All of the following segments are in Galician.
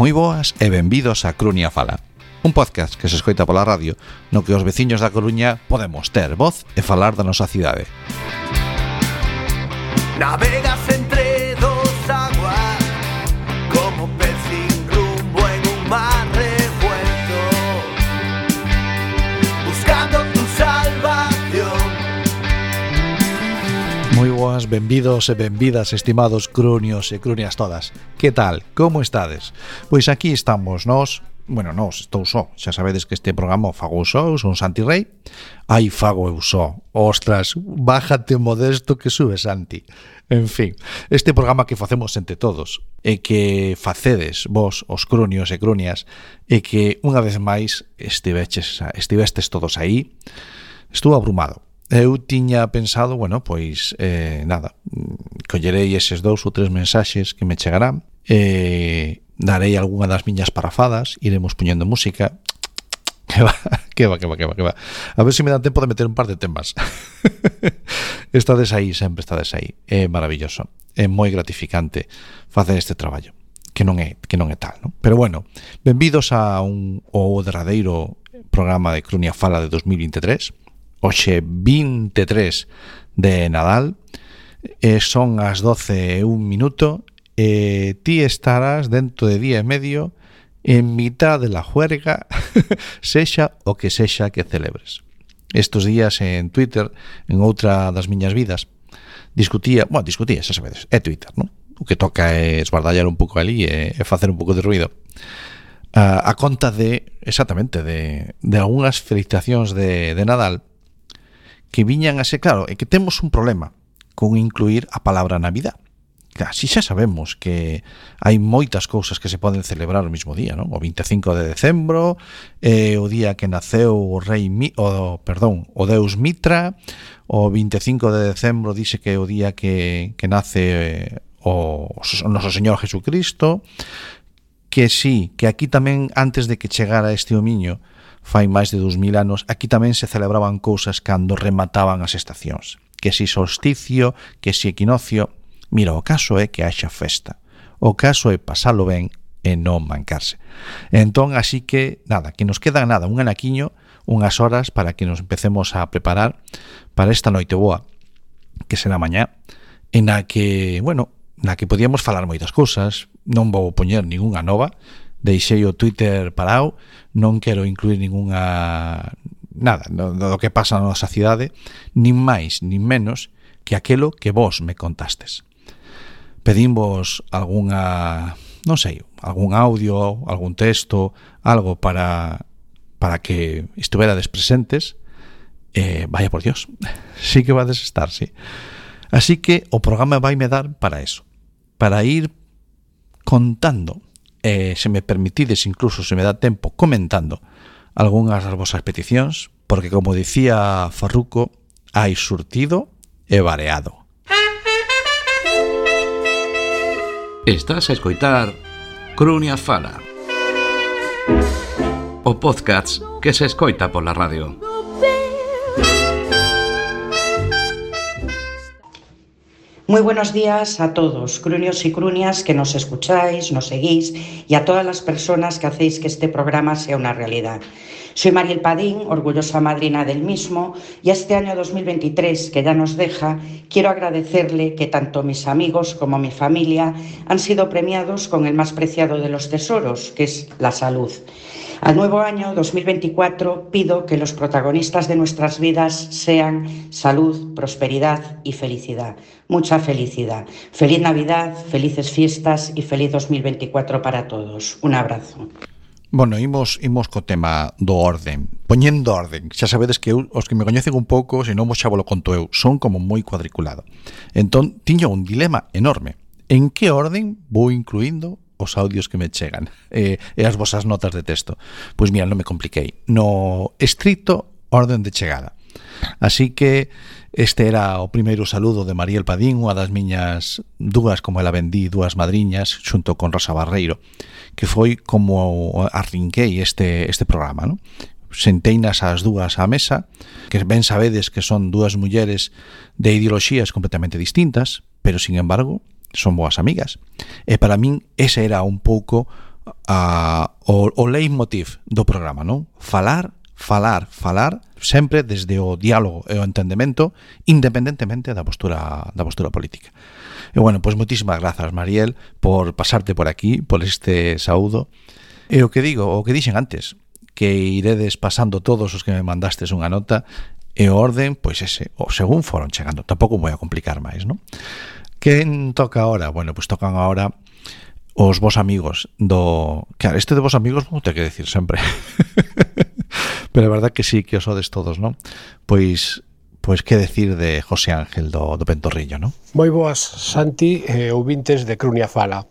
Moi boas e benvidos a Crunia Fala, un podcast que se escoita pola radio no que os veciños da Coruña podemos ter voz e falar da nosa cidade. Navegas entre dos aguas como pez sin rumbo en un mar revuelto, buscando tu salvación. Moi boas, benvidos e benvidas, estimados crunios e crunias todas. Que tal? Como estades? Pois aquí estamos nós. Bueno, nós, estou só. Xa sabedes que este programa o fago eu só, eu son Santi Rei. Ai, fago eu só. Ostras, bájate modesto que sube, Santi. En fin, este programa que facemos entre todos e que facedes vos, os crunios e crunias, e que unha vez máis estivestes todos aí, estuvo abrumado. Eu tiña pensado, bueno, pois, nada, collerei eses 2 ou 3 mensaxes que me chegarán e darei algunha das miñas parafadas, iremos poñendo música. Que va. A ver se me dá tempo de meter un par de temas. Estades aí, sempre estades aí. É maravilloso, é moi gratificante facer este traballo, que non é tal, non? Pero bueno, benvidos a o derradeiro programa de Crunia Fala de 2023. Hoxe 23 de Nadal, son as 12:01 e ti estarás dentro de día e medio en mitad de la juerga, sexa o que sexa que celebres. Estos días en Twitter, en outra das miñas vidas, discutía, xa sabedes, é Twitter, non? O que toca é esbardallar un pouco ali e facer un pouco de ruido. A conta exactamente, de algunhas felicitacións de Nadal que viñan a ser, claro, é que temos un problema con incluir a palabra Navidad. Claro, si xa sabemos que hai moitas cousas que se poden celebrar o mismo día, non? O 25 de decembro, o día que naceu o Deus Mitra, o 25 de decembro dice que é o día que nace o noso Señor Jesucristo, que sí, que aquí tamén, antes de que chegara este homiño, fai máis de 2000 anos, aquí tamén se celebraban cousas cando remataban as estacións. Que si solsticio, que si equinoccio. Mira, o caso é que haxa festa. O caso é pasalo ben e non mancarse. Entón, así que, nada, que nos queda un anaquiño, unhas horas para que nos empecemos a preparar para esta noite boa, que será mañá, en a que podíamos falar moitas cousas. Non vou poñer ningunha nova, deixei o Twitter parado, non quero incluir nada do que pasa na nosa cidade, nin máis, nin menos que aquelo que vos me contastes. Pedimos algún audio, algún texto, algo para que estuverades presentes, vaya por Dios, sí que vades estar, sí. Así que o programa vaime dar para eso, para ir contando, se me permitides, incluso se me dá tempo, comentando algunhas das vosas peticións, porque como dicía Farruco, hai surtido e vareado. Estás a escoitar Crunia Fala, o podcast que se escoita pola radio. Muy buenos días a todos, crunios y crunias que nos escucháis, nos seguís y a todas las personas que hacéis que este programa sea una realidad. Soy Mariel Padín, orgullosa madrina del mismo, y este año 2023 que ya nos deja, quiero agradecerle que tanto mis amigos como mi familia han sido premiados con el más preciado de los tesoros, que es la salud. Al nuevo año 2024 pido que los protagonistas de nuestras vidas sean salud, prosperidad y felicidad. Mucha felicidad. Feliz Navidad, felices fiestas y feliz 2024 para todos. Un abrazo. Bueno, imos co tema do orden. Poñendo orden. Xa sabedes que eu, os que me coñecen un pouco, se non vos xa vos lo conto eu, son como moi cuadriculado. Entón, tiño un dilema enorme. En que orden vou incluindo os audios que me chegan e as vosas notas de texto? Pois mira, non me compliquei. No estricto orden de chegada. Así que este era o primeiro saludo de Mariel Padín, unha das miñas dúas, como ela vendí, dúas madriñas, xunto con Rosa Barreiro, que foi como arrinquei este programa, non? Senteinas as dúas á mesa, que ben sabedes que son dúas mulleres de ideoloxías completamente distintas, pero, sin embargo, son boas amigas. E para min ese era un pouco o leitmotiv do programa, non? Falar, sempre desde o diálogo e o entendemento, independentemente da postura política. E bueno, pois moitísimas grazas, Mariel, por pasarte por aquí, por este saúdo. E o que dixen antes, que iredes pasando todos os que me mandastes unha nota, e o orden, pois ese, o según foron chegando. Tampouco vou a complicar máis, non? Quen toca ahora? Bueno, pois tocan ahora os vos amigos do... Claro, este de vos amigos non te que decir sempre. Pero a verdad que sí, que os sodes todos, non? Pois que decir de José Ángel do Ventorrillo, non? Moi boas, Santi e ouvintes de Crunia Fala.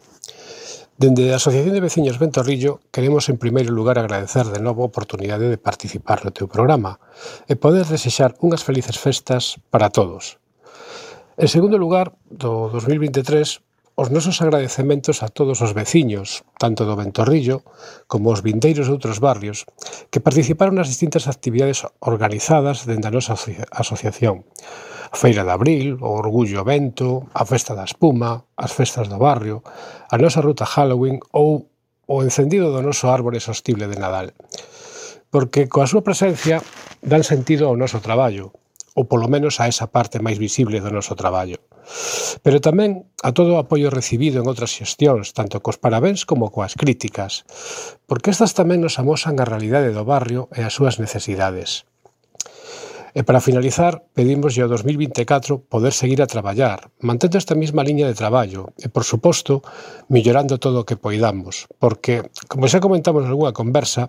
Dende a Asociación de Veciños Ventorrillo queremos en primeiro lugar agradecer de novo a oportunidade de participar no teu programa e poder desexar unhas felices festas para todos. En segundo lugar, do 2023, os nosos agradecementos a todos os veciños, tanto do Ventorrillo como os vindeiros de outros barrios, que participaron nas distintas actividades organizadas dende a nosa asociación. A Feira de Abril, o Orgullo Vento, a Festa da Espuma, as festas do barrio, a nosa ruta Halloween ou o encendido do noso árbore sostible de Nadal. Porque coa súa presencia dan sentido ao noso traballo, ou polo menos a esa parte máis visible do noso traballo. Pero tamén a todo o apoio recibido en outras xestións, tanto cos parabéns como coas críticas, porque estas tamén nos amosan a realidade do barrio e as súas necesidades. E para finalizar, pedimoslle ao 2024 poder seguir a traballar, mantendo esta mesma liña de traballo e, por suposto, mellorando todo o que poidamos, porque, como xa comentamos en algunha conversa,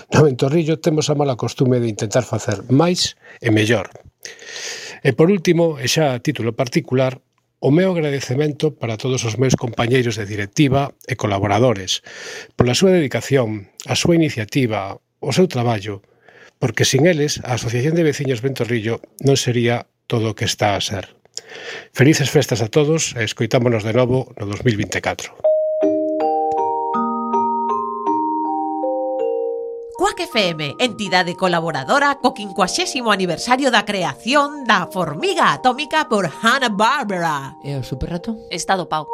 no Ventorrillo temos a mala costume de intentar facer máis e mellor. E por último, e xa a título particular, o meu agradecemento para todos os meus compañeiros de directiva e colaboradores pola súa dedicación, a súa iniciativa, o seu traballo, porque sin eles a Asociación de Veciños Ventorrillo non sería todo o que está a ser. Felices festas a todos e escoitámonos de novo no 2024. Quack FM, entidade colaboradora co 50º aniversario da creación da formiga atómica por Hanna-Barbera. E o superrato? Está dopado.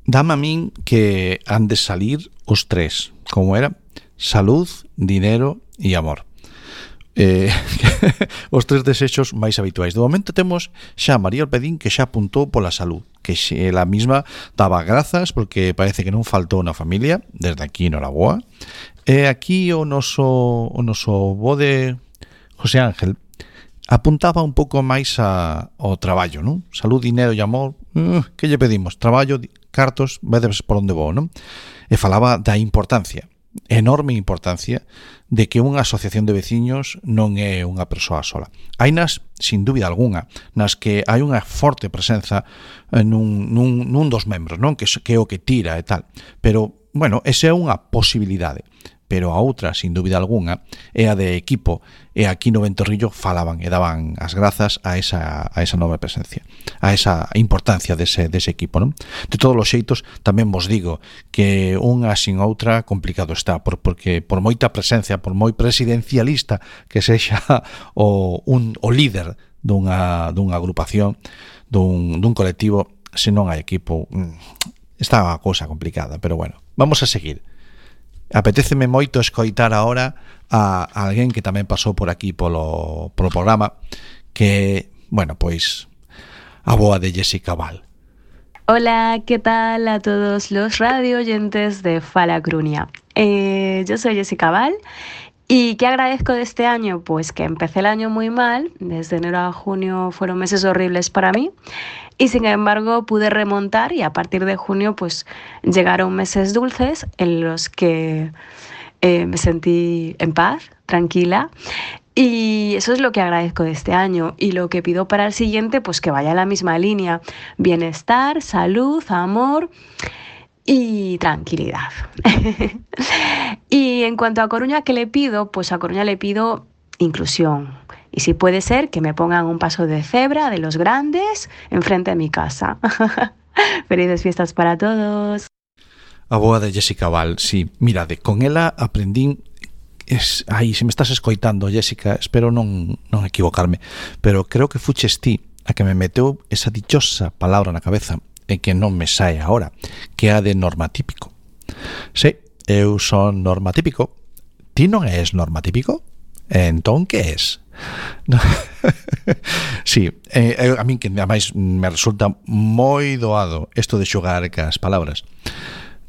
Dame a min que han de salir os tres, como era? Salud, dinero e amor. Os tres desexos máis habituais. De momento temos xa María Alpedín, que xa apuntou pola salud, que ela mesma daba grazas porque parece que non faltou na familia. Desde aquí noraboa. E aquí o noso bo de José Ángel apuntaba un pouco máis ao traballo, non? Salud, dinero e amor. Que lle pedimos? Traballo, cartos, vedes por onde vou, non? E falaba da importancia, enorme importancia, de que unha asociación de veciños non é unha persoa sola. Hainas, sin dúbida algunha, nas que hai unha forte presenza nun dos membros, non? Que é o que tira e tal. Pero, bueno, esa é unha posibilidade. Pero a outra, sin dúbida algunha, é a de equipo, e aquí no Ventorrillo falaban e daban as grazas a esa nova presencia, a esa importancia dese equipo, non? De todos os xeitos, tamén vos digo que unha sin outra complicado está, porque por moita presencia, por moi presidencialista que sexa o líder dunha agrupación, dun colectivo, se non hai equipo, está a cousa complicada, pero bueno, vamos a seguir. Apetéceme moito escoitar ahora a alguén que tamén pasou por aquí polo programa, que, bueno, pois a boa de Jessica Val. Hola, ¿qué tal a todos los radio oyentes de Fala Crunia? Yo soy Jessica Val. ¿Y qué agradezco de este año? Pues que empecé el año muy mal, desde enero a junio fueron meses horribles para mí, y sin embargo pude remontar y a partir de junio pues llegaron meses dulces en los que me sentí en paz, tranquila, y eso es lo que agradezco de este año. Y lo que pido para el siguiente, pues que vaya en la misma línea: bienestar, salud, amor y tranquilidad. Y en cuanto a Coruña, ¿qué le pido? Pues a Coruña le pido inclusión. Y si puede ser, que me pongan un paso de cebra de los grandes enfrente de mi casa. Felices fiestas para todos. A boa de Jessica Val, sí. Mirade, con ela aprendín... Ai, se me estás escoitando, Jessica, espero non equivocarme, pero creo que fuches ti a que me meteu esa dichosa palabra na cabeza e que non me sae agora, que é a de normatípico. Sí, eu son normatípico. Ti non és normatípico? Entón, que és? Sí, a min que ademais me resulta moi doado isto de xogar cas palabras.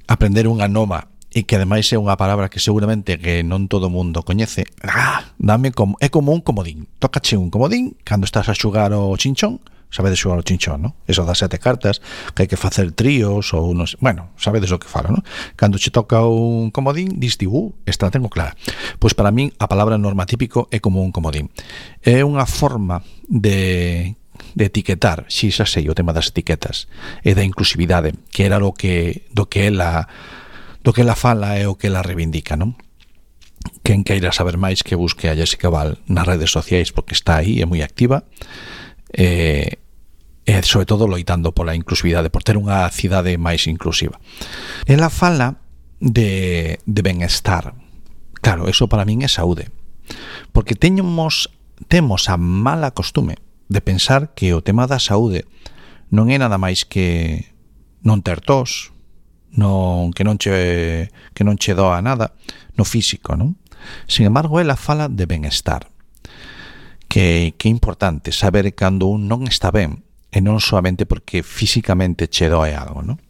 Aprender unha nova e que ademais é unha palabra que seguramente que non todo o mundo coñece. É como un comodín. Tócache un comodín cando estás a xogar o chinchón. Sabedes xogar o chinchón, non? Eso das 7 cartas, que hai que facer tríos ou unos... Bueno, sabedes o que falo, non? Cando che toca un comodín, diste, esta la tengo clara. Pois para min a palabra normatípico é como un comodín. É unha forma de etiquetar, xa sei, o tema das etiquetas e da inclusividade, que era do que ela fala e o que ela reivindica, non? Quen queira saber máis que busque a Jessica Val nas redes sociais porque está aí, é moi activa, e sobre todo loitando pola inclusividade, por ter unha cidade máis inclusiva. Ela fala de benestar. Claro, eso para min é saúde, porque temos a mala costume de pensar que o tema da saúde non é nada máis que non ter tos, que non che doa nada no físico, non? Sin embargo, ela fala de benestar, que é importante saber cando un non está ben, e non solamente porque físicamente che doe algo, non?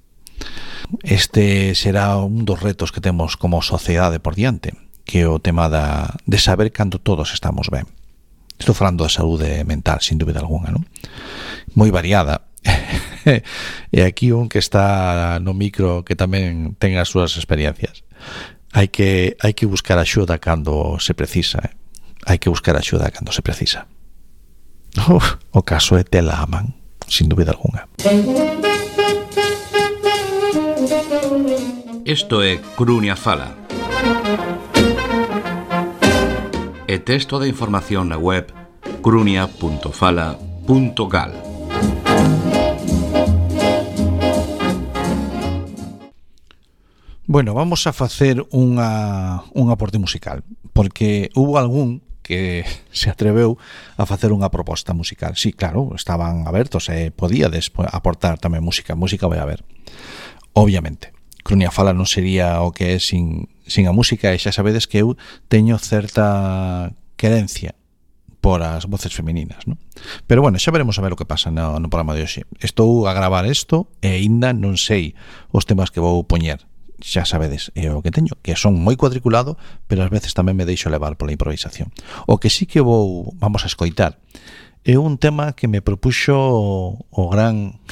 Este será un dos retos que temos como sociedade por diante, que é o tema de saber cando todos estamos ben. Estou falando da saúde mental, sin dúbida alguna, non? Moi variada. E aquí un que está no micro que tamén ten as súas experiencias. Hai que buscar axuda cando se precisa, Hai que buscar axuda cando se precisa. O caso é tela a man, sin dúbida alguna. Isto é Crunia Fala. E texto de información na web crunia.fala.gal. Bueno, vamos a facer un aporte musical, porque hubo algún que se atreveu a facer unha proposta musical. Sí, claro, estaban abertos e podíades aportar tamén música vai haber. Obviamente, Crunia Fala non sería o que é sin a música, e xa sabedes que eu teño certa querencia por as voces femininas, non? Pero bueno, xa veremos a ver o que pasa no programa de hoxe. Estou a gravar isto e ainda non sei os temas que vou poñer. Xa sabedes, é o que teño, que son moi cuadriculado, pero ás veces tamén me deixo levar pola improvisación. O que sí que vamos a escoitar é un tema que me propuxo o gran,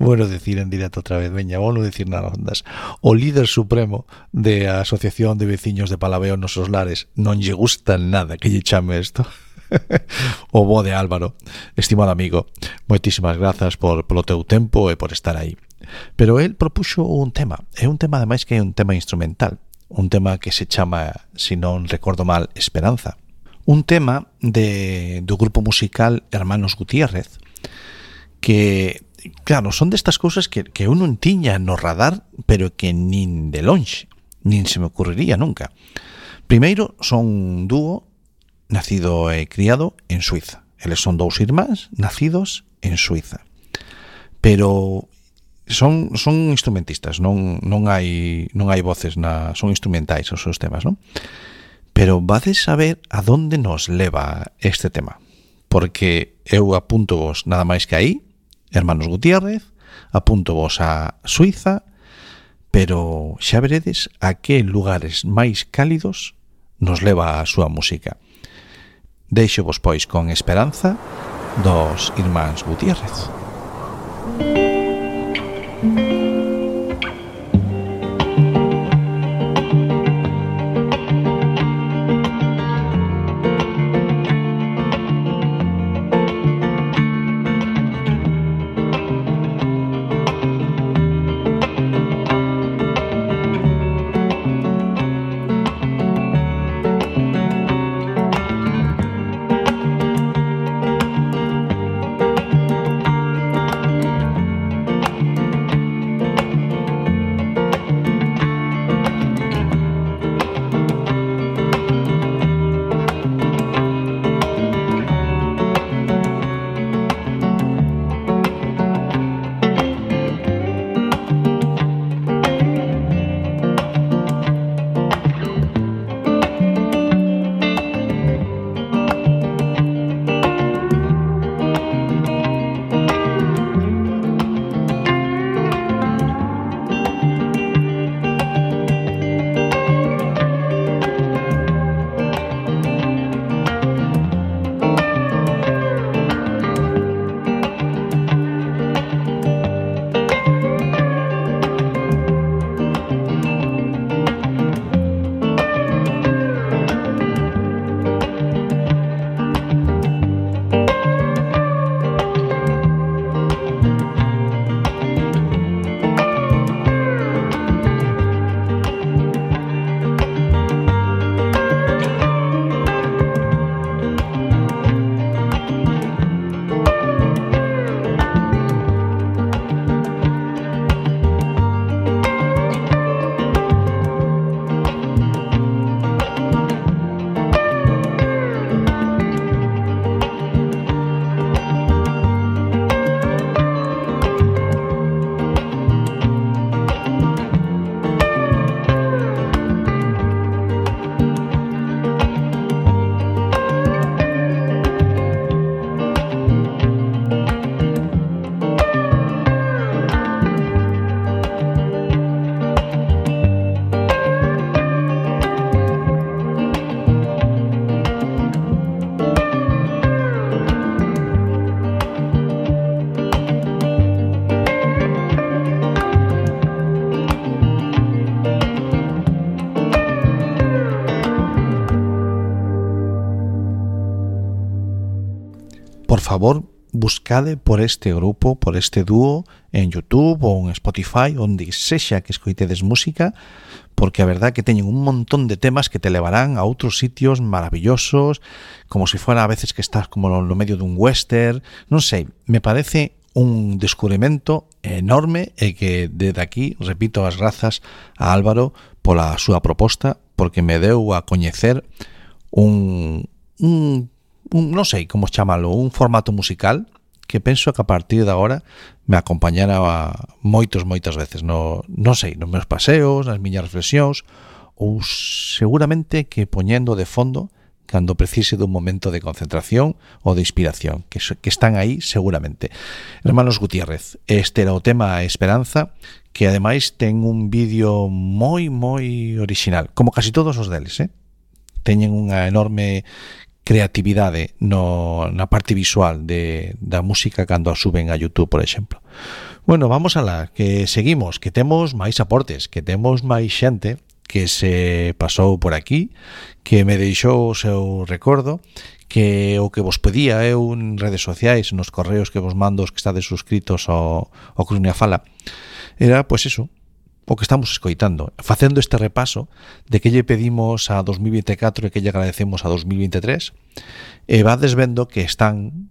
bueno decir en directo outra vez, veña, vou non decir nada ondas, o líder supremo de a Asociación de Veciños de Palaveo Nosos Lares. Non lle gusta nada que lle chame isto. O bo de Álvaro, estimado amigo, moitísimas grazas polo teu tempo e por estar aí. Pero el propuxo un tema, é un tema ademais que é un tema instrumental, un tema que se chama, se non recordo mal, Esperanza. Un tema do grupo musical Hermanos Gutiérrez, que, claro, son destas cousas que eu non tiña no radar, pero que nin de lonxe, nin se me ocurriría nunca. Primeiro, son un dúo nacido e criado en Suiza. Eles son dous irmáns nacidos en Suiza. Pero son instrumentistas, non hai voces, son instrumentais os seus temas, non? Pero vades saber a donde nos leva este tema, porque eu apunto vos nada máis que aí, Hermanos Gutiérrez, apunto vos a Suiza, pero xa veredes a que lugares máis cálidos nos leva a súa música. Deixo vos pois con Esperanza dos irmáns Gutiérrez. por favor, buscade por este grupo, por este dúo en YouTube ou en Spotify, onde sexa que escoitedes música, porque a verdad que teñen un montón de temas que te levarán a outros sitios maravillosos, como se fuera a veces que estás como no medio dun western, non sei, me parece un descubrimento enorme e que desde aquí repito as grazas a Álvaro pola súa proposta, porque me deu a coñecer un non sei como chamalo, un formato musical que penso que a partir de agora me acompañará moitas veces, non sei, nos meus paseos, nas miñas reflexións, ou seguramente que poñendo de fondo cando precise dun momento de concentración ou de inspiración, que están aí seguramente. Hermanos Gutiérrez, este era o tema Esperanza, que ademais ten un vídeo moi orixinal, como casi todos os deles, teñen unha enorme creatividade na parte visual da música cando a suben a YouTube, por exemplo. Bueno, vamos alá, que seguimos, que temos máis aportes, que temos máis xente que se pasou por aquí, que me deixou o seu recordo, que o que vos pedía eu en redes sociais, nos correos que vos mando os que estades suscritos ao Crunia Fala, era, pois eso, o que estamos escoitando, facendo este repaso de que lle pedimos a 2024 e que lle agradecemos a 2023, e vades vendo que están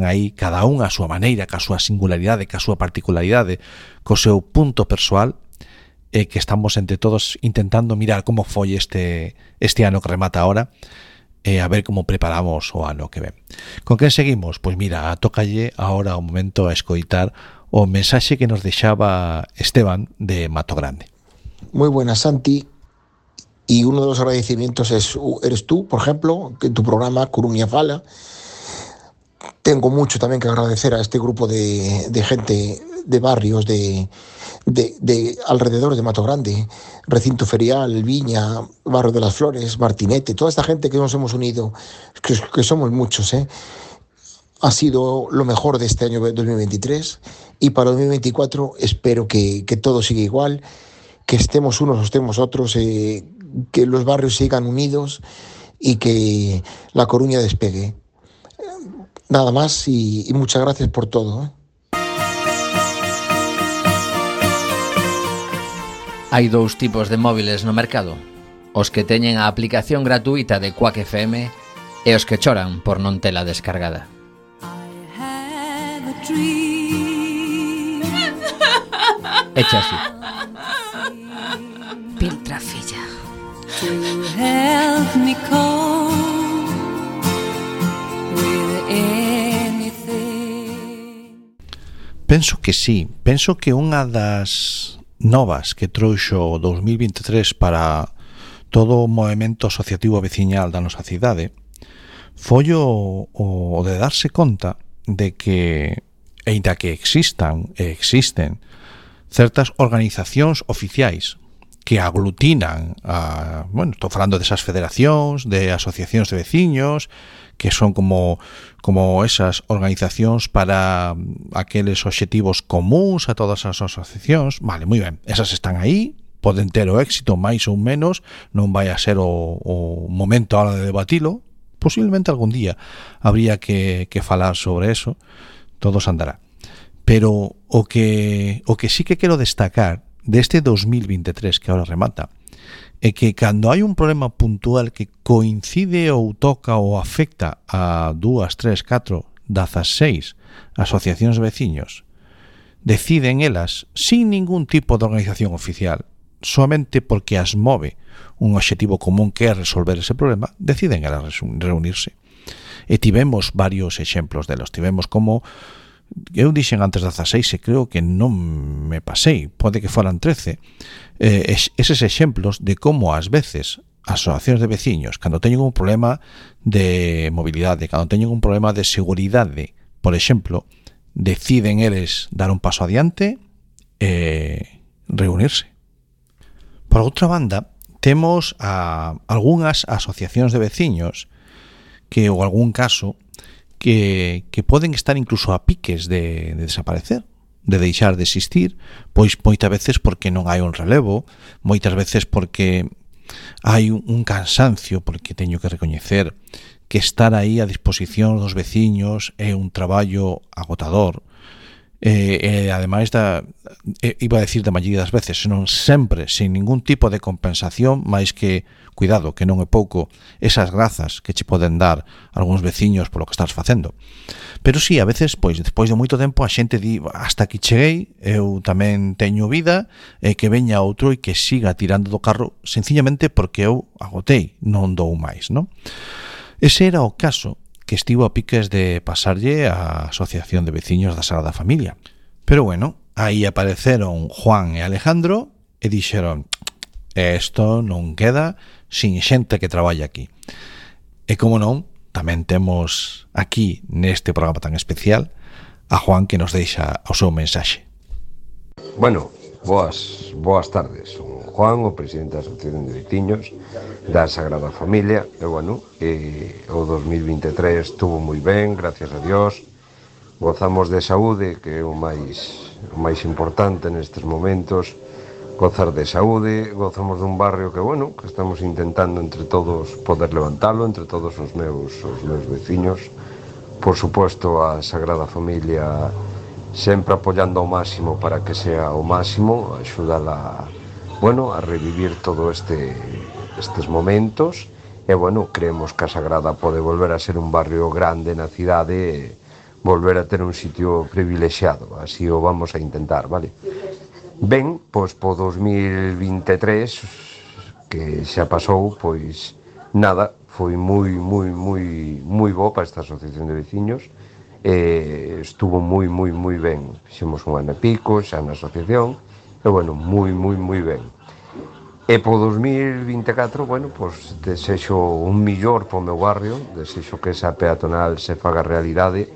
aí cada un a súa maneira, ca súa singularidade, ca súa particularidade, co seu punto persoal, e que estamos entre todos intentando mirar como foi este ano que remata ahora, e a ver como preparamos o ano que ven. Con quen seguimos? Pois mira, tócalle ahora o momento a escoitar o mensaxe que nos deixaba Esteban de Mato Grande. Muy buenas, Santi. Y uno de los agradecimientos eres tú, por ejemplo, que en tu programa Coruña Fala. Tengo mucho también que agradecer a este grupo de gente de barrios de alrededor de Mato Grande, Recinto Ferial, Viña, Barrio de las Flores, Martinete, toda esta gente que nos hemos unido, que somos muchos, ha sido lo mejor de este año 2023, y para 2024 espero que todo siga igual, que estemos unos o estemos otros, que los barrios sigan unidos y que La Coruña despegue. Nada más y muchas gracias por todo. Hai dous tipos de móviles no mercado: os que teñen a aplicación gratuita de Quack FM e os que choran por non tela descargada. Echa así. Piltrafilla. To help me cope with anything. Penso que sí, penso que unha das novas que trouxo 2023 para todo o movemento asociativo veciñal da nosa cidade foi o de darse conta de que, aínda que existen certas organizacións oficiais que aglutinan estou falando desas federacións, de asociacións de veciños, que son como esas organizacións para aqueles obxectivos comuns a todas as asociacións. Vale, moi ben, esas están aí, poden ter o éxito máis ou menos, non vai a ser o momento ahora de debatilo, posiblemente algún día habría que falar sobre eso, todo se andará. Pero o que sí que quero destacar deste 2023 que ahora remata é que cando hai un problema puntual que coincide ou toca ou afecta a 2, 3, 4, 16 asociacións de veciños, deciden elas sin ningún tipo de organización oficial, solamente porque as move un obxectivo común que é resolver ese problema, deciden elas reunirse. E tivemos varios exemplos delos. Tivemos como eu dixen antes 16 e creo que non me pasei, pode que foran 13, eses exemplos de como ás veces as asociacións de veciños, cando teñen un problema de mobilidade, cando teñen un problema de seguridade, por exemplo, deciden eles dar un paso adiante e reunirse. Por outra banda, temos a algunhas asociacións de veciños que, ou algún caso, que poden estar incluso a piques de desaparecer, de deixar de existir, pois moitas veces porque non hai un relevo, moitas veces porque hai un cansancio, porque teño que recoñecer que estar aí a disposición dos veciños é un traballo agotador, ademais iba a decir da maioría das veces, senón sempre, sin ningún tipo de compensación, máis que, cuidado, que non é pouco, esas grazas que che poden dar algúns veciños polo que estás facendo. Pero sí, a veces, pois, despois de moito tempo, a xente di, hasta aquí cheguei, eu tamén teño vida, que veña outro e que siga tirando do carro, sencillamente porque eu agotei, non dou máis, non? Ese era o caso que estivo a piques de pasarlle á Asociación de Veciños da Sagrada Familia. Pero bueno, aí apareceron Juan e Alejandro e dixeron, isto non queda sin xente que traballa aquí. E como non, tamén temos aquí neste programa tan especial a Juan que nos deixa o seu mensaxe. Bueno, boas tardes. Son Juan, o presidente da Asociación de Veciños da Sagrada Familia. E bueno, o 2023 estuvo moi ben, gracias a Dios. Gozamos de saúde, que é o máis importante nestes momentos. Gozar de saúde, gozamos dun barrio que, bueno, que estamos intentando entre todos poder levantalo, entre todos os meus veciños. Por suposto, a Sagrada Familia sempre apoiando ao máximo para que sea o máximo, axúdala, bueno, a revivir todo estes momentos. E, bueno, creemos que a Sagrada pode volver a ser un barrio grande na cidade e volver a ter un sitio privilexiado. Así o vamos a intentar, vale? Ben, pois po 2023 que xa pasou, pois nada, foi moi bo para esta asociación de veciños. Estuvo moi ben. Fixemos un ano e pico xa na asociación e, bueno, moi ben. E po 2024, bueno, pois desexo un millor po meu barrio, desexo que esa peatonal se faga realidade,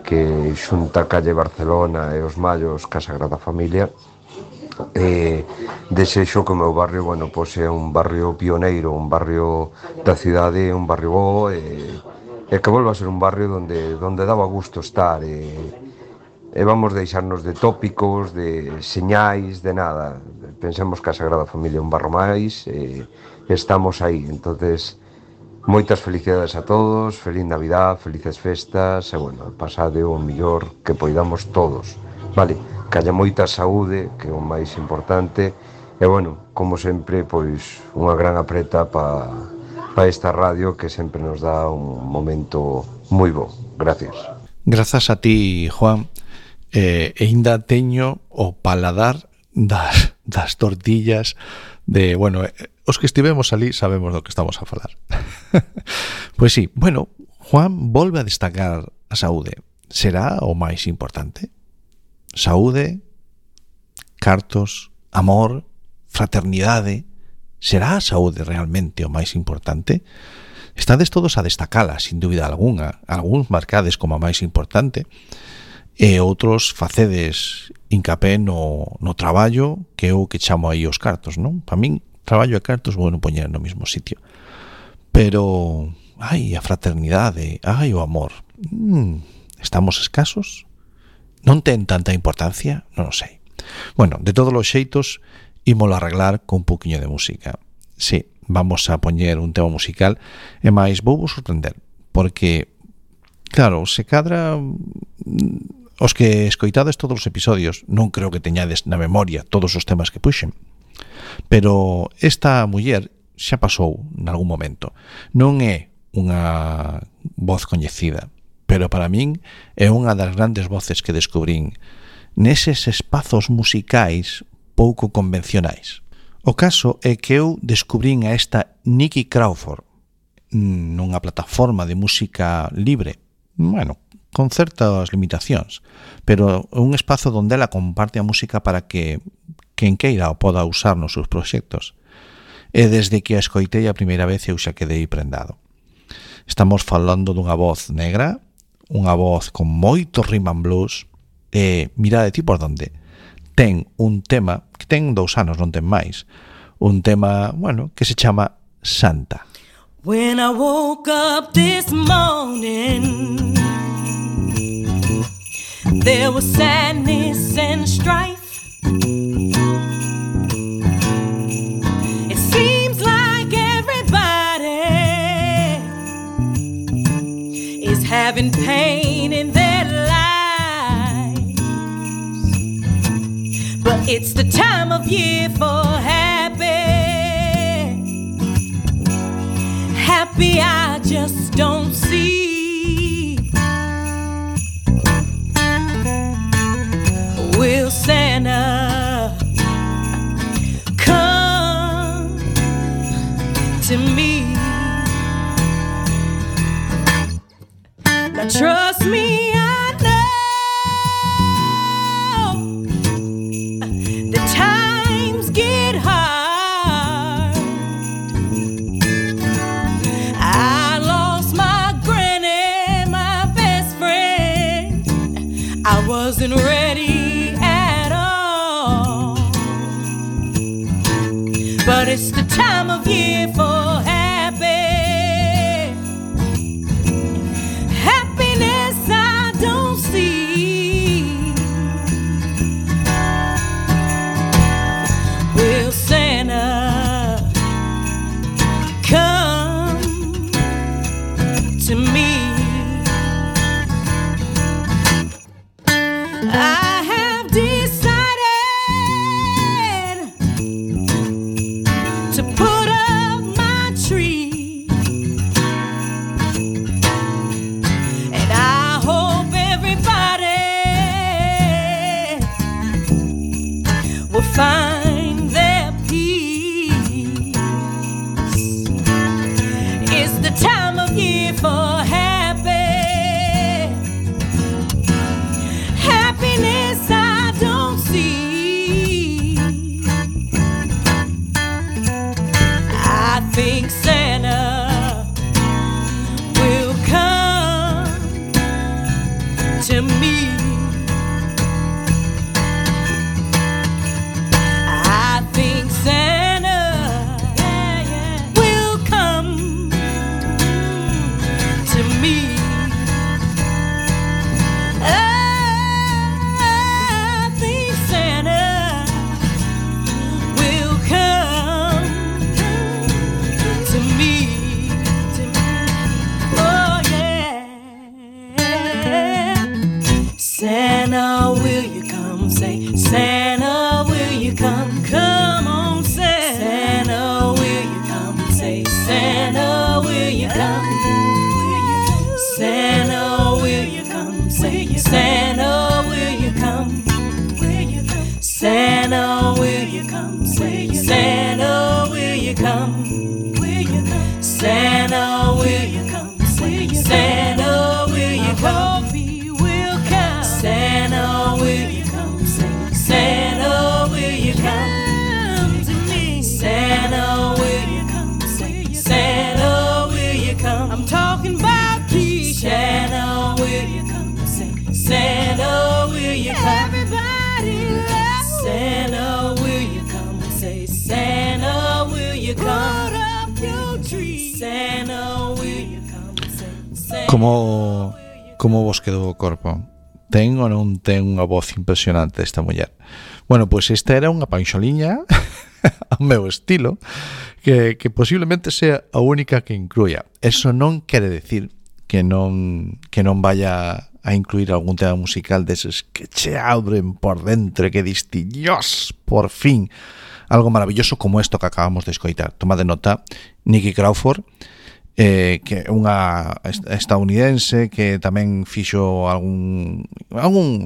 que xunta a calle Barcelona e os Mallos ca Sagrada Familia. Desexo que o meu barrio, bueno, pois é un barrio pioneiro, un barrio da cidade, un barrio bo, e que volva a ser un barrio donde daba gusto estar, e vamos deixarnos de tópicos, de señais, de nada. Pensemos que a Sagrada Familia é un barro máis, e estamos aí. Entonces, moitas felicidades a todos, feliz Navidad, felices festas, e, bueno, pasade o mellor que poidamos todos, vale? Que haya moita saúde, que é o máis importante, e, bueno, como sempre, pois, unha gran apreta para esta radio que sempre nos dá un momento moi bo. Gracias. Grazas a ti, Juan. E ainda teño o paladar das tortillas de, bueno, os que estivemos ali sabemos do que estamos a falar. Pois sí, bueno, Juan volve a destacar a saúde. Será o máis importante? Saúde, cartos, amor, fraternidade. Será a saúde realmente o máis importante? Estades todos a destacala, sin dúbida algunha. Algúns marcades como a máis importante, e outros facedes hincapé no traballo, que é o que chamo aí os cartos, non? Para min, traballo e cartos vou non poñer no mesmo sitio. Pero, ai, a fraternidade, ai, o amor. Estamos escasos? Non ten tanta importancia? Non o sei. Bueno, de todos os xeitos, ímolo arreglar con un poquinho de música. Sí, vamos a poñer un tema musical, e máis vou vos sorprender, porque, claro, se cadra os que escoitades todos os episodios, non creo que teñades na memoria todos os temas que puxen, pero esta muller xa pasou nalgún momento. Non é unha voz coñecida, pero para min é unha das grandes voces que descubrín neses espazos musicais pouco convencionais. O caso é que eu descubrín a esta Nikki Crawford nunha plataforma de música libre, bueno, con certas limitacións, pero un espazo onde ela comparte a música para que quen queira o poda usar nos seus proxectos. E desde que a escoitei a primeira vez eu xa quedei prendado. Estamos falando dunha voz negra, unha voz con moito rhythm and blues, e mirade ti por donde. Ten un tema que ten 2 anos, non ten máis, un tema, bueno, que se chama Santa. When I woke up this morning, there was sadness and strife. It seems like having pain in their lives. But it's the time of year for happy. Happy I just don't see. Will Santa come to me? Now trust me, I know the times get hard. I lost my granny, my best friend. I wasn't ready at all. But it's the time of year for happy. Happiness I don't see. Will Santa come to me? I have decided to put up my tree, and I hope everybody will find their peace. It's the time of year for happy. Happiness I don't see. I think Santa will come to me. I think Santa will come to me. I think Santa will come to me. Oh yeah. Santa, will you come? Say, Santa, will you come? Come on, Santa, will you come? Say, Santa, will you come? Santa, will you come? Say, Santa, will you come? Santa, will you come? Say, Santa, will you come? Santa, will you come? Say, Santa, will you come? He will come. Santa, will you come? Say, Santa, will you come to me? Santa, will you come? Say, Santa, will you come? I'm talking about peace. Santa, will you come? Say, Santa, will you come? Everybody loves Santa, will you come? Say, Santa, will you come? Put up your tree. Santa, will you come? Say, Santa. Como vos quedou o corpo? Ten ou non ten unha voz impresionante esta muller? Bueno, pois esta era unha panxoliña ao meu estilo que posiblemente sea a única que incluya. Eso non quere decir que non vaya a incluir algún tema musical deses que che abren por dentro e que diste, Dios, por fin, algo maravilloso como isto que acabamos de escoitar. Toma de nota, Nicky Crawford, que é unha estadounidense que tamén fixo algún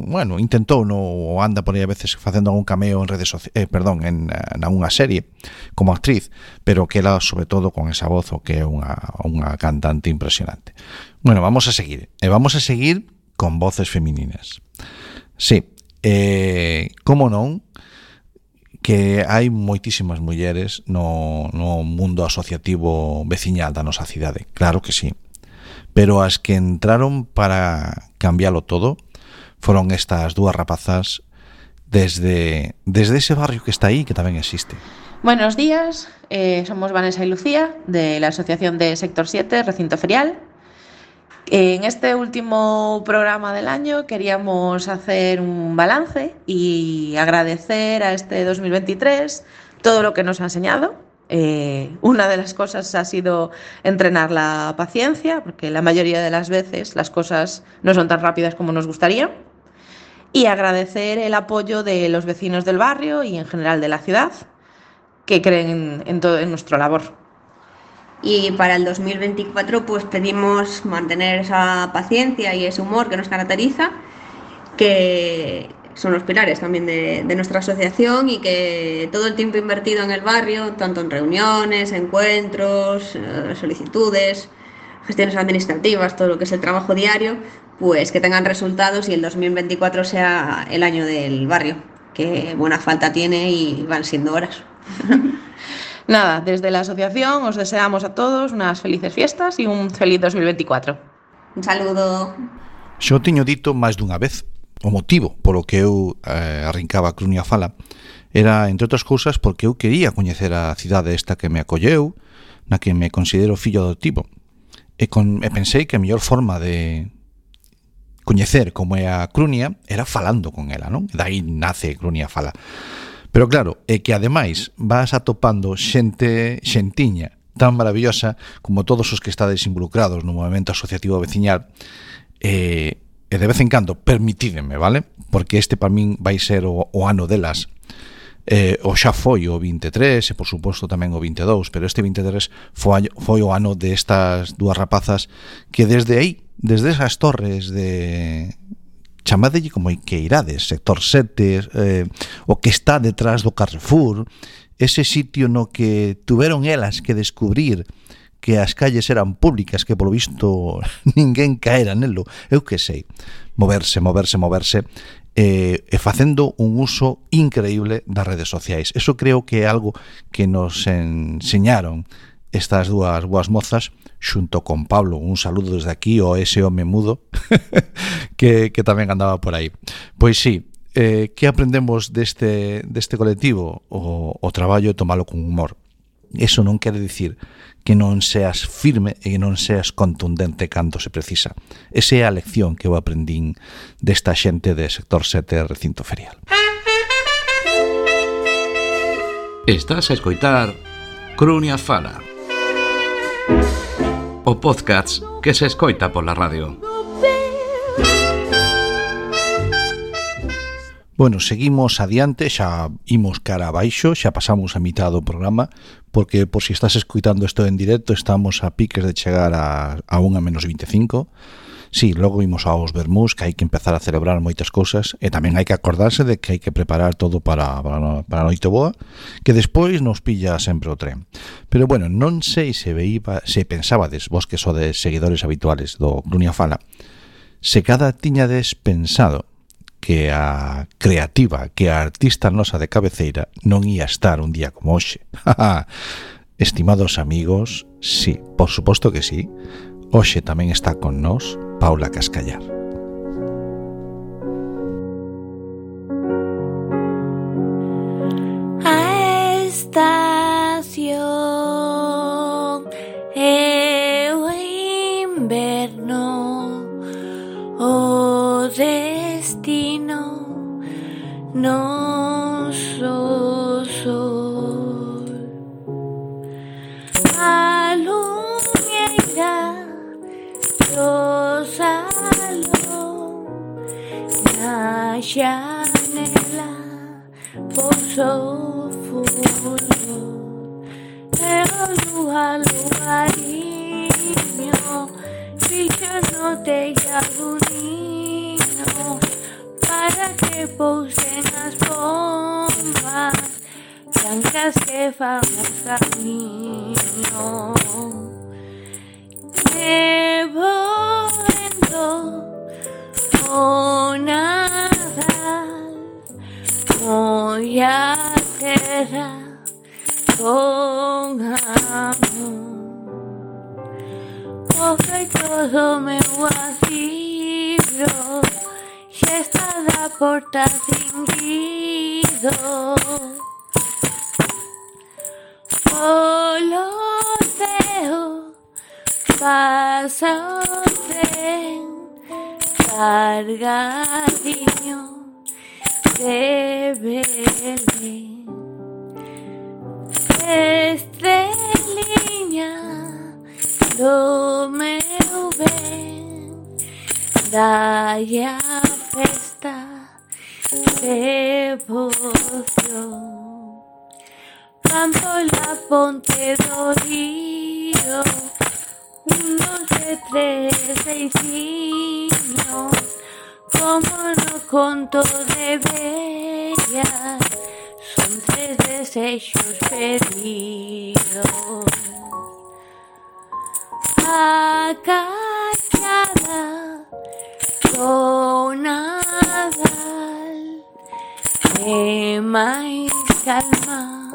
bueno, intentou ou anda por aí a veces facendo algún cameo en redes sociais, en unha serie como actriz, pero que era sobre todo con esa voz o que é unha cantante impresionante. Bueno, vamos a seguir con voces femininas. Sí, como non, que hai moitísimas mulleres no mundo asociativo veciñal da nosa cidade, claro que sí, pero as que entraron para cambialo todo foron estas dúas rapazas desde ese barrio que está aí, que tamén existe. Buenos días, somos Vanessa y Lucía de la Asociación de Sector 7, Recinto Ferial. En este último programa del año queríamos hacer un balance y agradecer a este 2023 todo lo que nos ha enseñado Una de las cosas ha sido entrenar la paciencia, porque la mayoría de las veces las cosas no son tan rápidas como nos gustaría. Y agradecer el apoyo de los vecinos del barrio y en general de la ciudad, que creen en nuestra labor. Y para el 2024 pues pedimos mantener esa paciencia y ese humor que nos caracteriza, que son los pilares también de nuestra asociación, y que todo el tiempo invertido en el barrio, tanto en reuniones, encuentros, solicitudes, gestiones administrativas, todo lo que es el trabajo diario, pues que tengan resultados y el 2024 sea el año del barrio, que buena falta tiene y van siendo horas. Nada, desde la asociación os deseamos a todos unas felices fiestas y un feliz 2024. Un saludo. Xo tiño dito máis dunha vez. O motivo polo que eu arrincaba a Crunia Fala era, entre outras cousas, porque eu quería coñecer a cidade esta que me acolleu, na que me considero fillo adoptivo. E pensei que a mellor forma de coñecer como é a Crunia era falando con ela, non? E dai nace Crunia Fala. Pero claro, é que ademais vas atopando xentiña tan maravillosa como todos os que estades involucrados no movimento asociativo veciñal, e de vez en cando, permitídeme, vale? Porque este para min vai ser o ano delas. O xa foi o 23 e por suposto tamén o 22, pero este 23 foi o ano destas dúas rapazas que desde aí, desde esas torres de... chamadelle como que irades, sector 7, o que está detrás do Carrefour, ese sitio no que tuveron elas que descubrir que as calles eran públicas, que polo visto ninguén caera nelo, eu que sei, moverse, e facendo un uso increíble das redes sociais. Eso creo que é algo que nos enseñaron estas dúas boas mozas, xunto con Pablo, un saludo desde aquí ao ese home mudo que tamén andaba por aí. Pois sí, que aprendemos deste colectivo? O traballo é tomalo con humor. Eso non quere dicir que non seas firme e que non seas contundente cando se precisa. Esa é a lección que eu aprendín desta xente de sector 7 recinto ferial. Estás a escoitar Crunia Fala, o podcast que se escoita pola radio. Bueno, seguimos adiante, xa imos cara abaixo, xa pasamos a mitad do programa, porque por si estás escuitando isto en directo, estamos a piques de chegar a 1:25. Sí, logo imos aos vermús, que hai que empezar a celebrar moitas cousas, e tamén hai que acordarse de que hai que preparar todo para a noite boa, que despois nos pilla sempre o tren. Pero bueno, non sei se pensabades, vos que sodes seguidores habituales do Crunia Fala, se cada tiñades pensado que a creativa, que a artista nosa de cabeceira non ia estar un día como hoxe. Estimados amigos, sí, por suposto que sí. Hoxe tamén está con nós Paula Cascallar. A estación é o inverno, o destino noso sol. A luñeira do salón, na xanela posou fulgor, e o luariño fixo no tellado niño, para que pousen as pombas blancas que fan o camiño. Nevoendo o Nadal, moi a terra con amor. O feito do meu asilo xa está da porta cinguido. Polo ceo pasa o tren cargadiño de Belén. estreliña do meu ben, dalle a festa devoción. Van pola ponte do río, 1, 2, 3, 6, como no conto de bellas, son 3 desexos pedidos. A cachada do Nadal e máis calma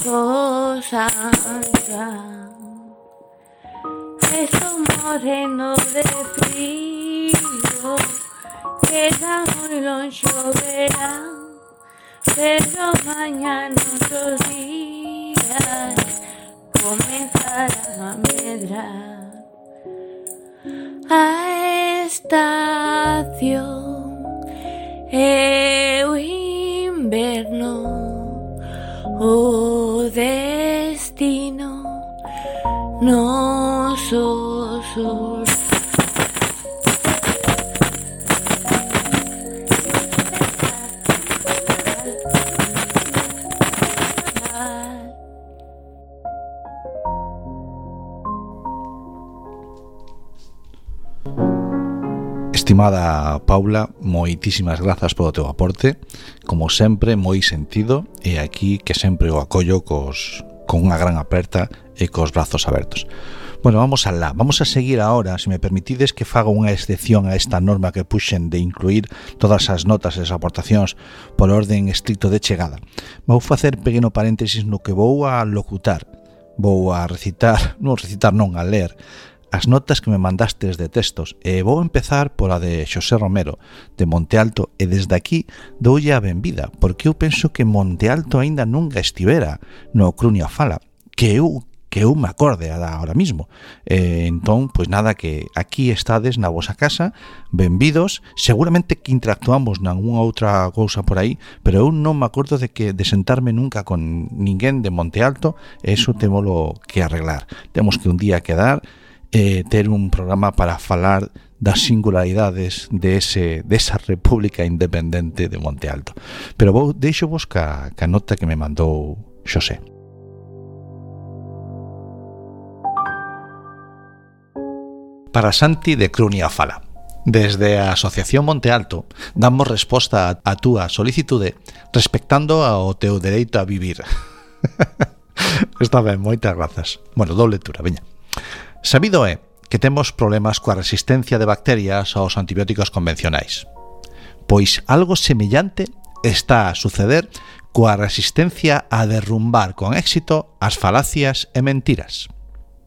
do San Juan. Estou morrendo de frío, queda moi longe o verán, pero mañá noutros días comenzarán a medrar. A estación é o inverno, o destino noso sur. Estimada Paula, moitísimas grazas polo teu aporte, como sempre moi sentido, e aquí que sempre o acollo con unha gran aperta e cos brazos abertos. Bueno, vamos a seguir ahora, se me permitides que faga unha excepción a esta norma que puxen de incluir todas as notas e as aportacións por orden estricto de chegada. Vou facer pequeno paréntesis no que vou a locutar, vou a a ler as notas que me mandastes de textos, e vou empezar pola de Xosé Romero, de Monte Alto, e desde aquí doulle a benvida, porque eu penso que Monte Alto aínda nunca estivera no Crunia Fala, que eu me acorde ahora mismo. Entón, pois nada, que aquí estades na vosa casa, benvidos, seguramente que interactuamos nalgúna outra cousa por aí, pero eu non me acordo de sentarme nunca con ninguén de Monte Alto, e iso témolo que arreglar. Temos que un día quedar, ter un programa para falar das singularidades desa república independente de Monte Alto. Pero deixo vos ca nota que me mandou Xosé. Para Santi de Crunia Fala. Desde a Asociación Monte Alto damos resposta a túa solicitude respectando ao teu dereito a vivir. Está ben, moitas grazas. Bueno, doble lectura, veña. Sabido é que temos problemas coa resistencia de bacterias aos antibióticos convencionais. Pois algo semellante está a suceder coa resistencia a derrumbar con éxito as falacias e mentiras.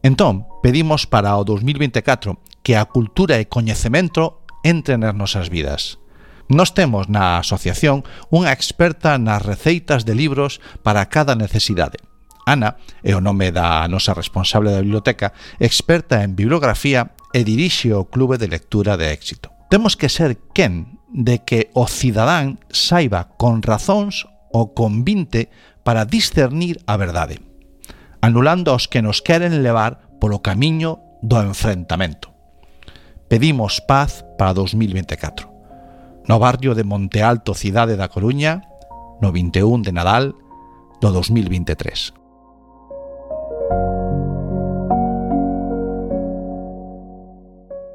Entón, pedimos para o 2024 que a cultura e coñecemento entren nas nosas vidas. Nós temos na asociación unha experta nas receitas de libros para cada necesidade. Ana é o nome da nosa responsable da biblioteca, experta en bibliografía e dirixe o Clube de Lectura de Éxito. Temos que ser quen de que o cidadán saiba con razóns ou con 20 para discernir a verdade, anulando aos que nos queren levar polo camiño do enfrentamento. Pedimos paz para 2024. No barrio de Monte Alto, cidade da Coruña, no 21 de Nadal do 2023.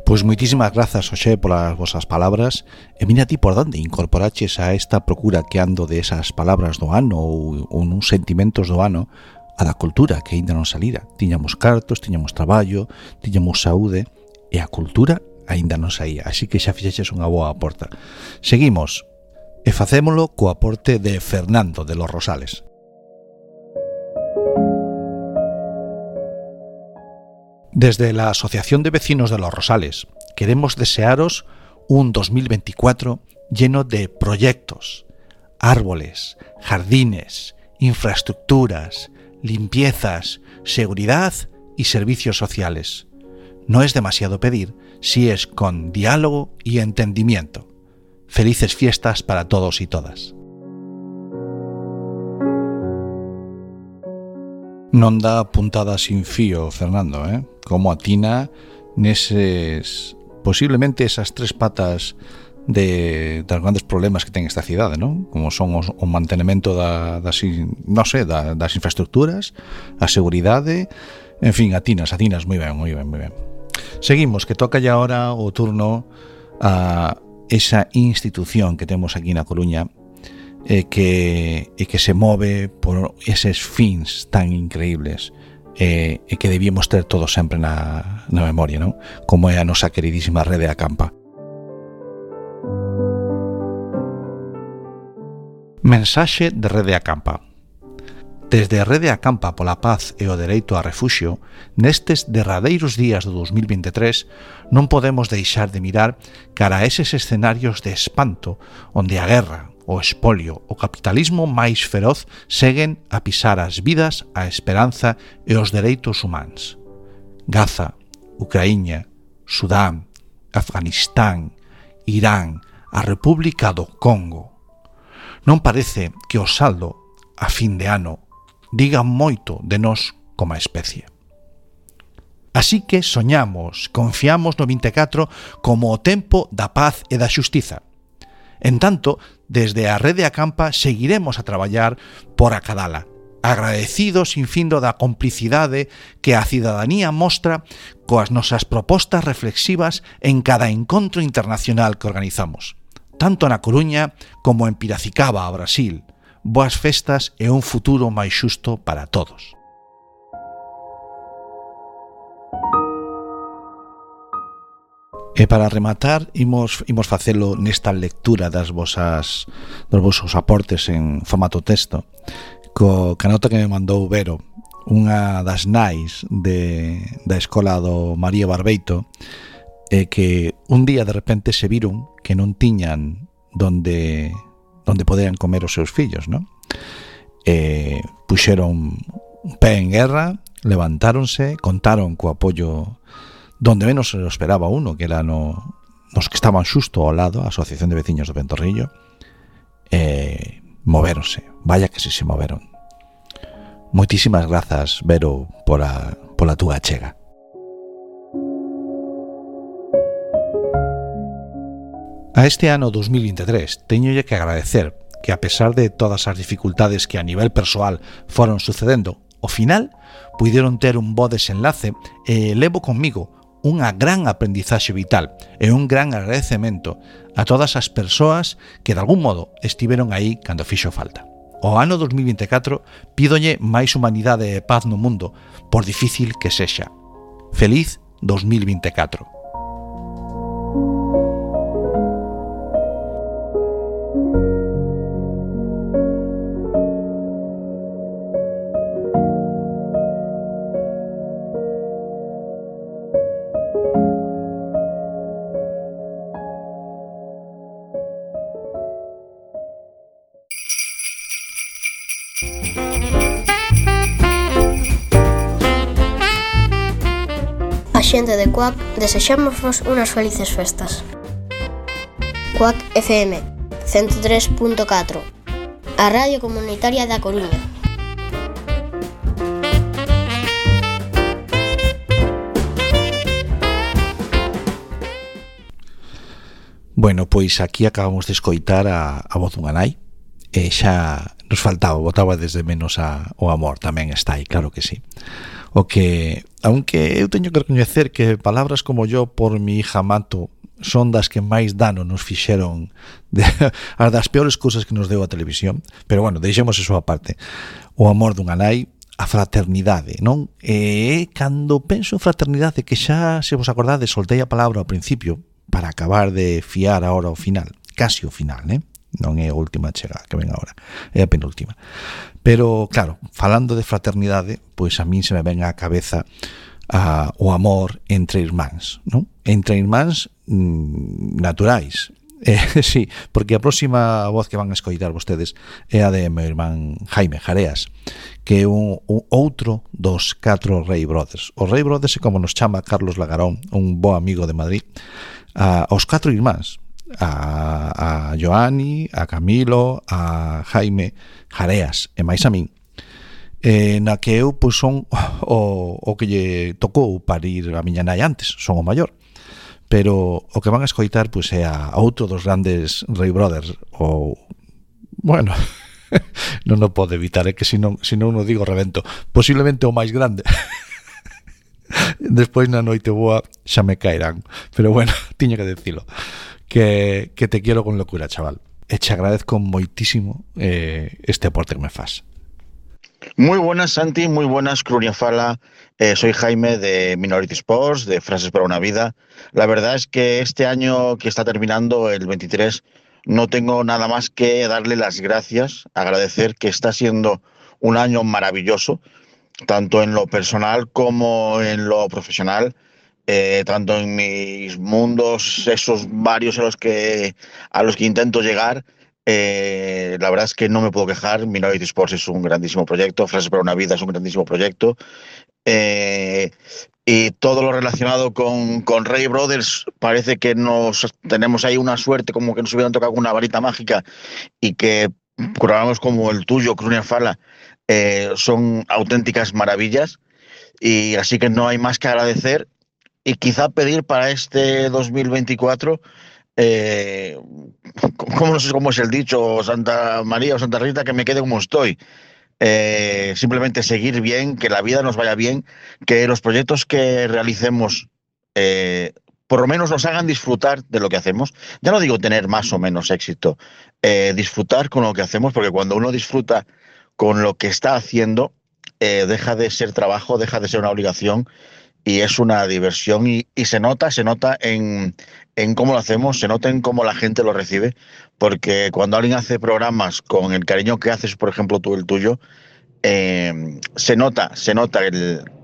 Pois moitísimas grazas, Xosé, polas vosas palabras, e mira ti por onde incorporaches a esta procura que ando de esas palabras do ano ou uns sentimentos do ano a da cultura que aínda non salira. Tiñamos cartos, tiñamos traballo, tiñamos saúde, e a cultura aínda non saía, así que xa fixeches unha boa aporta. Seguimos, e facémolo co aporte de Fernando de Los Rosales. Desde la Asociación de Vecinos de Los Rosales queremos desearos un 2024 lleno de proyectos, árboles, jardines, infraestructuras, limpiezas, seguridad y servicios sociales. No es demasiado pedir si es con diálogo y entendimiento. Felices fiestas para todos y todas. Non dá puntada sin fío, Fernando, como atina neses, posiblemente esas tres patas dos grandes problemas que ten esta cidade, non? Como son o mantenimento das infraestructuras, a seguridade, en fin, atinas moi ben. Seguimos, que toca ya ahora o turno a esa institución que temos aquí na Coruña e que se move por eses fins tan increíbles e que debíamos ter todos sempre na memoria, non? Como é a nosa queridísima Rede Acampa. Mensaxe de Rede Acampa. Desde a Rede Acampa pola paz e o dereito a refuxio, nestes derradeiros días do 2023 non podemos deixar de mirar cara a eses escenarios de espanto onde a guerra, o espolio, o capitalismo máis feroz seguen a pisar as vidas, a esperanza e os dereitos humanos. Gaza, Ucraína, Sudán, Afganistán, Irán, a República do Congo. Non parece que o saldo, a fin de ano, diga moito de nós como especie. Así que soñamos, confiamos no 24 como o tempo da paz e da xustiza. En tanto, desde a Rede Acampa seguiremos a traballar por acadala, agradecidos sin findo da complicidade que a cidadanía mostra coas nosas propostas reflexivas en cada encontro internacional que organizamos, tanto na Coruña como en Piracicaba, a Brasil. Boas festas e un futuro máis xusto para todos. E para rematar, imos facelo nesta lectura dos vosos aportes en formato texto, ca nota que me mandou Vero, unha das nais da escola do María Barbeito, que un día de repente se viron que non tiñan donde poderan comer os seus fillos, non? Puxeron un pé en guerra, levantáronse, contaron co apoio donde menos se lo esperaba uno, que era nos que estaban xusto ao lado, a Asociación de Veciños do Ventorrillo, moveronse, vaya que se moveron. Moitísimas grazas, Vero, pola túa achega. A este ano 2023 teñolle que agradecer que, a pesar de todas as dificultades que a nivel persoal foron sucedendo, ao final puideron ter un bo desenlace e levo conmigo unha gran aprendizaxe vital e un gran agradecemento a todas as persoas que de algún modo estiveron aí cando fixo falta. O ano 2024 pídolle máis humanidade e paz no mundo, por difícil que sexa. Feliz 2024. A xente de Cuac desexámosvos unhas felices festas. Cuac FM 103.4, a radio comunitaria da Coruña. Bueno, pois aquí acabamos de escoitar a voz dunha nai e xa nos faltaba, botaba desde menos o amor, tamén está aí, claro que sí. O que, aunque eu teño que recoñecer que palabras como yo por mi hija mato son das que máis dano nos fixeron, as das peores cousas que nos deu a televisión, pero bueno, deixemos eso aparte. O amor dunha nai, a fraternidade, non? E cando penso en fraternidade, que xa, se vos acordades, soltei a palabra ao principio para acabar de fiar ahora ao final, casi ao final, non é a última chega que ven agora, é a penúltima. Pero, claro, falando de fraternidade, pois a min se me ven á cabeza o amor entre irmáns, non? Entre irmáns naturais. Sí, porque a próxima voz que van a escoitar vostedes é a de meu irmán Jaime Jareas, que é un outro dos 4 Rey Brothers. O Rey Brothers é como nos chama Carlos Lagarón, un bo amigo de Madrid, aos 4 irmáns, a Joani, a Camilo, a Jaime Jareas e máis a min. na que eu pois son o que lle tocou parir a miña nai antes, son o maior. Pero o que van a escoitar pois é a outro dos grandes Ray Brothers, ou bueno, non o pode evitar, é que se non o digo revento, posiblemente o máis grande. Despois na noite boa xa me caerán, pero bueno, tiño que decilo, que te quiero con locura, chaval, e te agradezco moitísimo este aporte que me fas. Muy buenas, Santi, muy buenas, Crunia Fala. Soy Jaime de Minority Sports, de Frases para una Vida. La verdad es que este año que está terminando, el 23, no tengo nada más que darle las gracias, agradecer que está siendo un año maravilloso, tanto en lo personal como en lo profesional, tanto en mis mundos, esos varios a los que intento llegar. La verdad es que no me puedo quejar. Minority Sports es un grandísimo proyecto, Frases para una Vida es un grandísimo proyecto, y todo lo relacionado con Ray Brothers parece que tenemos ahí una suerte, como que nos hubieran tocado una varita mágica, y que programas como el tuyo, Crunia Fala, son auténticas maravillas, y así que no hay más que agradecer y quizá pedir para este 2024, no sé cómo es el dicho, Santa María o Santa Rita, que me quede como estoy. Simplemente seguir bien, que la vida nos vaya bien, que los proyectos que realicemos por lo menos nos hagan disfrutar de lo que hacemos. Ya no digo tener más o menos éxito, disfrutar con lo que hacemos, porque cuando uno disfruta con lo que está haciendo, deja de ser trabajo, deja de ser una obligación, y es una diversión, y se nota en cómo lo hacemos, se nota en cómo la gente lo recibe, porque cuando alguien hace programas con el cariño que haces, por ejemplo tú el tuyo, se nota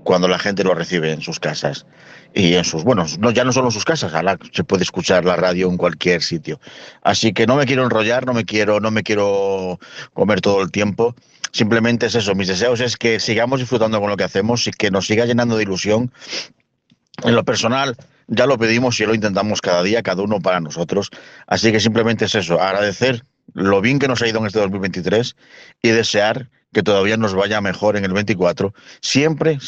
cuando la gente lo recibe en sus casas y en sus, ya no solo en sus casas, ahora se puede escuchar la radio en cualquier sitio. Así que no me quiero enrollar, no me quiero comer todo el tiempo. Simplemente es eso, mis deseos es que sigamos disfrutando con lo que hacemos y que nos siga llenando de ilusión. En lo personal ya lo pedimos y lo intentamos cada día, cada uno para nosotros. Así que simplemente es eso, agradecer lo bien que nos ha ido en este 2023 y desear que todavía nos vaya mejor en el 24, siempre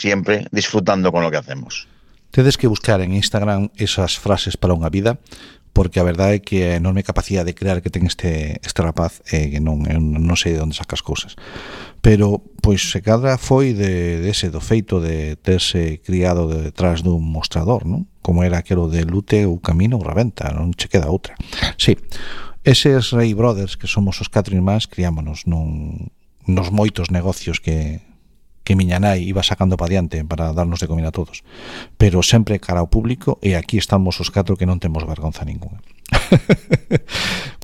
disfrutando con lo que hacemos. Tedes que buscar en Instagram esas frases para unha vida, porque a verdade é que a enorme capacidade de crear que ten este rapaz, que non sei de onde saca as cousas, pero pois se cadra foi do feito de terse criado detrás dun mostrador, non? Como era aquelo de lute ou camino ou rebenta, non che queda outra. Sí, eses Ray Brothers, que somos os 4 irmáns, criámonos nos moitos negocios que miña nai iba sacando para diante para darnos de comer a todos, pero sempre cara ao público, e aquí estamos os 4 que non temos vergonza ninguna.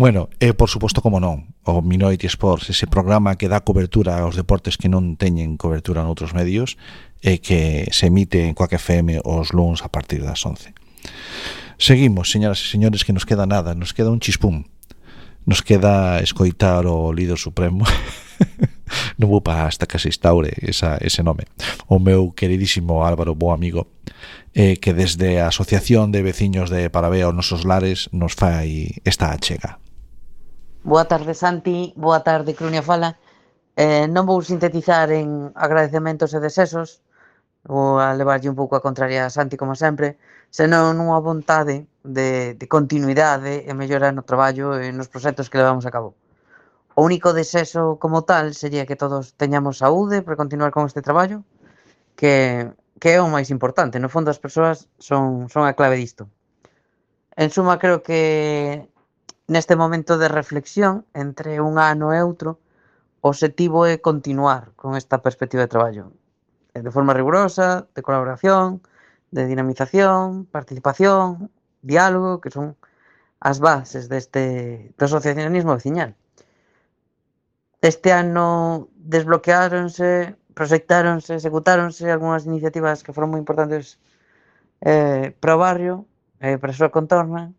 Bueno, por suposto, como non, o Minority Sports, ese programa que dá cobertura aos deportes que non teñen cobertura noutros medios, e que se emite en Quack FM os luns a partir das 11. Seguimos, señoras e señores, que nos queda nada, nos queda un chispún, nos queda escoitar o líder supremo. Non vou para hasta que se instaure ese nome, o meu queridísimo Álvaro, bo amigo, que desde a Asociación de Veciños de Paravea aos Nosos Lares nos fai esta achega. Boa tarde, Santi, boa tarde, Crunia Fala. Non vou sintetizar en agradecementos e desesos, vou a levarlle un pouco a contraria a Santi, como sempre, senón unha vontade de continuidade e mellora no traballo e nos proxectos que levamos a cabo. O único desexo como tal sería que todos teñamos saúde para continuar con este traballo, que é o máis importante. No fondo, as persoas son a clave disto. En suma, creo que neste momento de reflexión entre un ano e outro, o obxectivo é continuar con esta perspectiva de traballo de forma rigurosa, de colaboración, de dinamización, participación, diálogo, que son as bases do asociacionismo veciñal. Este ano desbloqueáronse, proxectáronse, executáronse algunhas iniciativas que foron moi importantes para o barrio, para a súa contorna.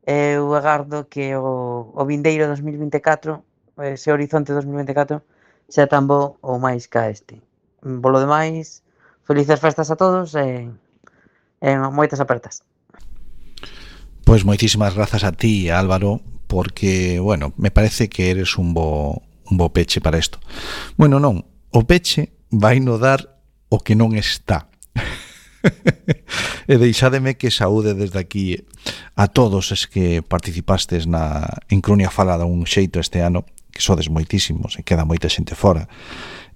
Eu agardo que o vindeiro 2024, ese horizonte 2024, xa tan bo ou máis ca este. Polo demais, felices festas a todos e moitas apertas. Pois moitísimas grazas a ti, Álvaro, porque, bueno, me parece que eres un bo peche para isto. Bueno, non, o peche vai no dar o que non está. E deixádeme que saúde desde aquí a todos os que participastes en Crunia Fala dun xeito este ano, que sodes moitísimos e queda moita xente fora,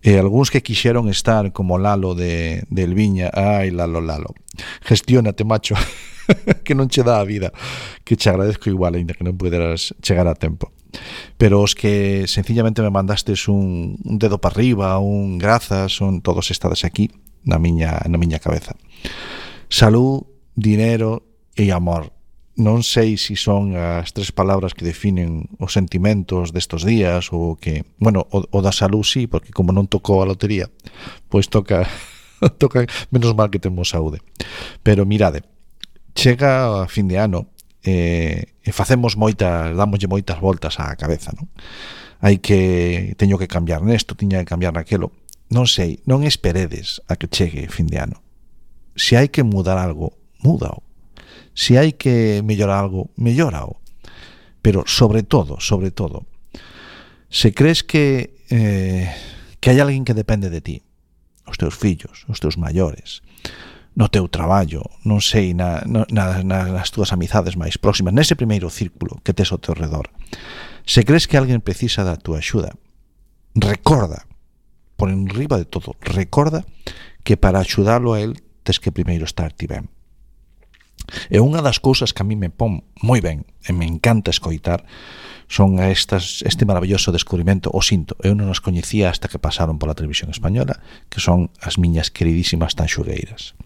e algúns que quixeron estar como Lalo de Elviña. Ai, Lalo, gestiónate, macho, que non che dá a vida, que che agradezco igual, ainda que non puderas chegar a tempo. Pero os que sencillamente me mandastes un dedo para arriba, un grazas, son todos estades aquí na miña cabeza. Salud, dinero e amor. Non sei se son as tres palabras que definen os sentimentos destos días ou que, bueno, o da salud sí, porque como non tocou a lotería, pois toca menos mal que temos saúde. Pero mirade, chega a fin de ano e facemos dámoslle moitas voltas á cabeza, non? Teño que cambiar nesto, tiña que cambiar naquelo. Non sei, non esperedes a que chegue fin de ano. Se hai que mudar algo, múdao. Se hai que mellorar algo, mellórao. Pero sobre todo, se crees que hai alguén que depende de ti, os teus fillos, os teus maiores, no teu traballo, non sei, nas túas amizades máis próximas, nese primeiro círculo que tes ao teu redor, se crees que alguén precisa da túa axuda, recorda, por enriba de todo, recorda que para axudalo a él tes que primeiro estar ti ben. E unha das cousas que a mí me pon moi ben e me encanta escoitar son este maravilloso descubrimento, o sinto, eu non os coñecía hasta que pasaron pola televisión española, que son as miñas queridísimas tanxugueiras.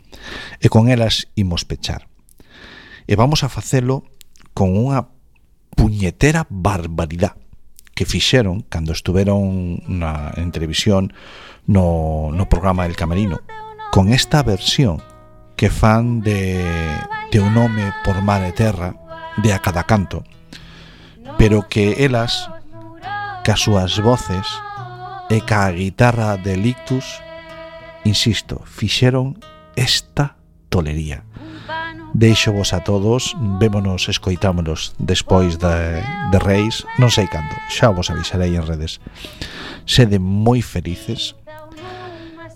E con elas imos pechar. E vamos a facelo con unha puñetera barbaridade que fixeron cando estuveron en televisión no programa El Camerino, con esta versión que fan de Un home por mar e terra, de A Cada Canto, pero que elas, cas súas voces e ca guitarra de Lictus, insisto, fixeron esta tolería. Deixo vos a todos, vémonos, escoitámonos despois de Reis, non sei cando, xa vos avisarei en redes. Sede moi felices,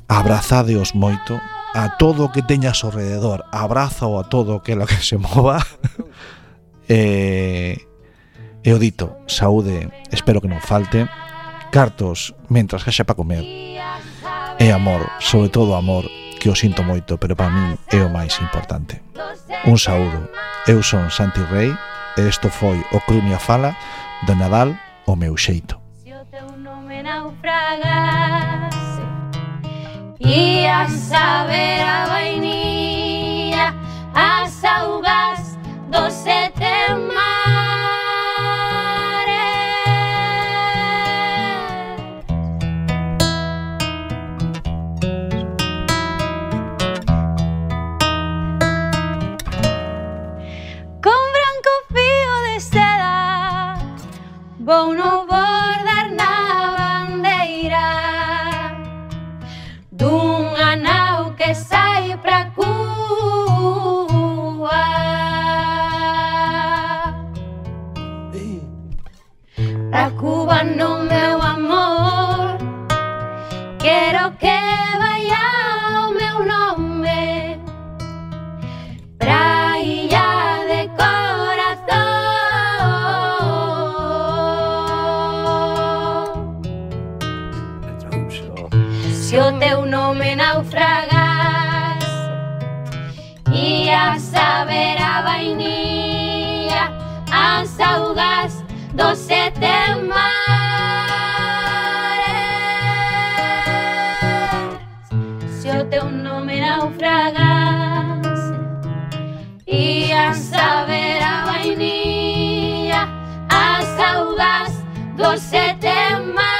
abrazadeos moito, a todo o que teñas ao rededor, abrazo a todo aquilo que se mova. E o dito, saúde, espero que non falte, cartos mentras haxa para comer, e amor, sobre todo amor, que o sinto moito, pero para min é o máis importante. Un saúdo. Eu son Santi Rei e isto foi o Crunia Fala do Nadal o meu xeito. E a saber a vainilla, as augas dos sete con branco fío de seda vou no bordar na bandeira dunha nau que sai pra Cuba, pra Cuba no meu amor, quero que vaya o meu nome pra illa de corazón. Se o teu nome naufragas e a saber a vainilla, as augas dos sete mares. Se o teu nome naufragas e a saber a vainilla, as augas dos sete mares.